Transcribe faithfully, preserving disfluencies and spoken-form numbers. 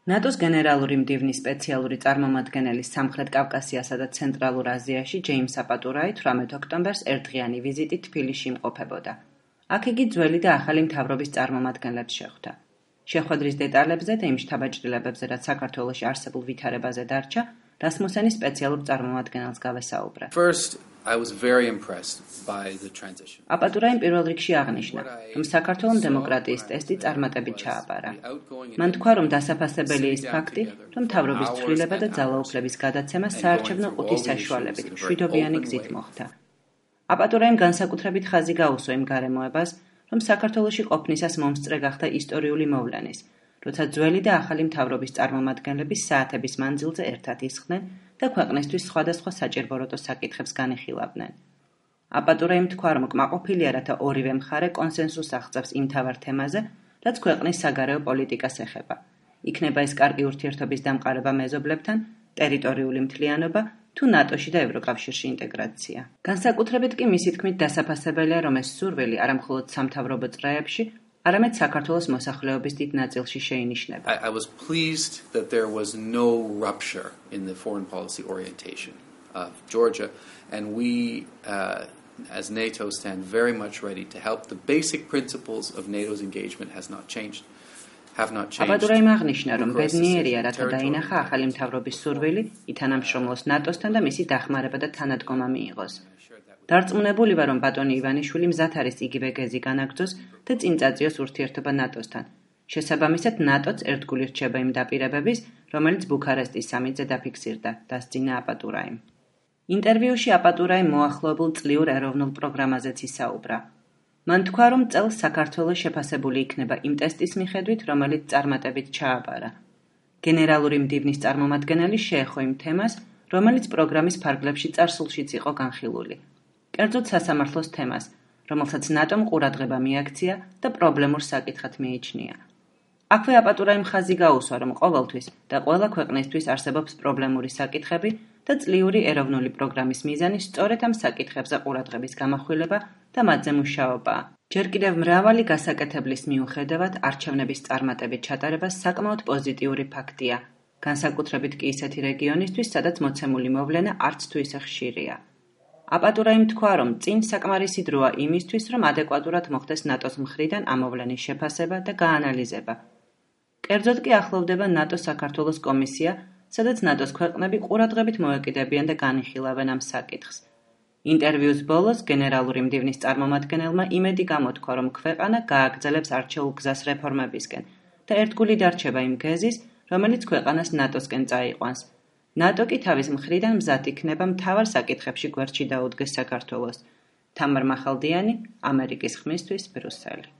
ნატოს გენერალური მდივნის სპეციალური წარმომადგენელი სამხრეთ კავკასიასა და ცენტრალურ აზიაში ჯეიმს აპატურაი თვრამეტ ოქტომბერს ერთდღიანი ვიზიტით თბილისში იმყოფებოდა. აქ იგი ძველი და ახალი მთავრობის წარმომადგენლებს შეხვდა. შეხვედრის დეტალებზე და იმ შთაბეჭდილებებზე, რაც საქართველოში არსებულ ვითარებაზე დარჩა, რასმუსენის სპეციალურ წარმომადგენელს გავესაუბრა. First, I was very impressed by the transition. აპატურაიმ პირველ რიგში აღნიშნა, რომ საქართველოს დემოკრატიის ტესტი წარმატებით ჩააბარა. მან თქვა, რომ დასაფასებელი ის ფაქტი, რომ მთავრობის ცვლილება და ძალაუფლების გადაცემა საარჩევნო ყუთის საშუალებით მშვიდობიანი გზით მოხდა. აპატურაიმ განსაკუთრებით ხაზი გაუსვა იმ გარემოებას, რომ საქართველოში ყოფნისას მომსწრე გახდა ისტორიული მოვლენის, როცა ძველი და ახალი მთავრობის წარმომადგენლები საათების მანძილზე ერთად ისხდნენ და ქვეყნისთვის სხვადასხვა საჭირბოროტო საკითხებს განიხილავდნენ. აპატურაიმ თქვა, რომ კმაყოფილია, რათა ორივე მხარე კონსენსუსს აღწევს იმ მთავარ თემაზე, რაც ქვეყნის საგარეო პოლიტიკას ეხება. იქნება ეს კარგი ურთიერთობის დამყარება მეზობლებთან, ტერიტორიული მთლიანობა თუ ნატოში და ევროკავშირში ინტეგრაცია. განსაკუთრებით კი მისი თქმით დასაფასებელია, რომ ეს სურვილი არა მხოლოდ სამთავრობო წრეებში, არამედ საქართველოს მოსახლეობის დიდ ნაწილში შეინიშნება. I, I was pleased that there was no rupture in the foreign policy orientation of Georgia, and we, uh, as NATO, stand very much ready to help. The basic principles of NATO's engagement has not changed. აპატურაიმ აღნიშნა, რომ ბედნიერია, რათა დაინახა ახალი მთავრობის სურვილი ითანამშრომლოს ნატოსთან და მისი დახმარება და თანადგომა მიიღოს. დარწმუნებული ვარ, რომ ბატონი ივანიშვილი მზად არის იგივე გეზი განაგრძოს და წინ წაწიოს ურთიერთობა ნატოსთან. შესაბამისად, ნატოც ერთგული რჩება იმ დაპირებების, რომელიც ბუქარესტის სამიტზე დაფიქსირდა, დასძინა აპატურაიმ. ინტერვიუში აპატურაიმ მოახლოებულ წლიურ ეროვნულ პროგრამაზეც ისაუბრა. მან თქვა, რომ წელს საქართველოს შეფასებული იქნება იმ ტესტის მიხედვით, რომელიც წარმატებით ჩააბარა. გენერალური მდივნის წარმომადგენელი შეეხო იმ თემას, რომელიც პროგრამის ფარგლებში წარსულშიც იყო განხილული. კერძოდ სასამართლოს თემას, რომელსაც ნატომ ყურადღება მიაქცია და პრობლემურ საკითხად მიიჩნია. აქვე აპატურაიმ ხაზი გაუსვა, რომ ყოველთვის და ყველა ქვეყნისთვის არსებობს პრობლემური საკითხები და წლიური ეროვნული პროგრამის მიზანი სწორედ ამ საკითხებზე ყურადღების გამახვილება და მათზე მუშაობაა. ჯერ კიდევ მრავალი გასაკეთებლის მიუხედავად არჩევნების წარმატებით ჩატარება საკმაოდ პოზიტიური ფაქტია, განსაკუთრებით კი ისეთი რეგიონისთვის, სადაც მოცემული მოვლენა არც თუ ისე ხშირია. აპატურაიმ თქვა, რომ წინ საკმარისი დროა იმისთვის, რომ ადეკვატურად მოხდეს ნატოს მხრიდან ამ მოვლენის შეფასება და გაანალიზება. კერძოდ კი ახლოვდება ნატო-საქართველოს კომისია, სადაც ნატოს ქვეყნები ყურადღებით მოეკიდებიან და განიხილავენ ამ საკითხს. ინტერვიუს ბოლოს გენერალური მდივნის წარმომადგენელმა იმედი გამოთქვა, რომ ქვეყანა გააგრძელებს არჩეულ გზას რეფორმებისკენ და ერთგული დარჩება იმ გეზის, რომელიც ქვეყანას ნატოსკენ წაიყვანს. ნატო კი თავის მხრიდან მზად იქნება მთავარ საკითხებში გვერდში დაუდგეს საქართველოს. თამარ მახალდიანი, ამერიკის ხმისთვის, ბრიუსელი.